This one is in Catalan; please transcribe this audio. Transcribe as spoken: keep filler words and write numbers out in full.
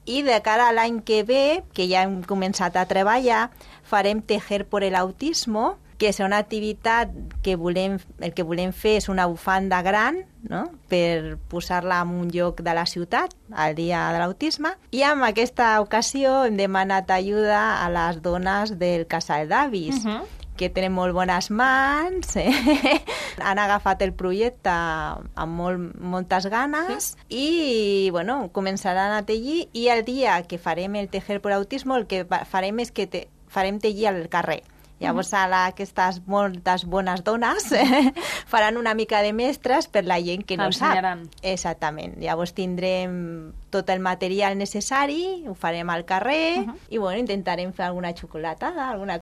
I de cara a l'any que ve, que ja hem començat a treballar, farem Tejer por el Autismo, que és una activitat que volem, el que volem fer és una bufanda gran, no?, per posar-la en un lloc de la ciutat, al dia de l'autisme, i en aquesta ocasió hem demanat ajuda a les dones del casal d'avis, uh-huh. que tenen molt bones mans, eh? Han agafat el projecte amb molt, moltes ganes sí. i bueno, començaran a tenyir, i el dia que farem el Tejer por Autismo el que farem és que te, farem tenyir al carrer. Llavors, ara aquestes moltes bones dones eh, faran una mica de mestres per la gent que no Ensenyaran. sap. Exactament. Llavors tindrem tot el material necessari, ho farem al carrer uh-huh. i bueno, intentarem fer alguna xocolatada, alguna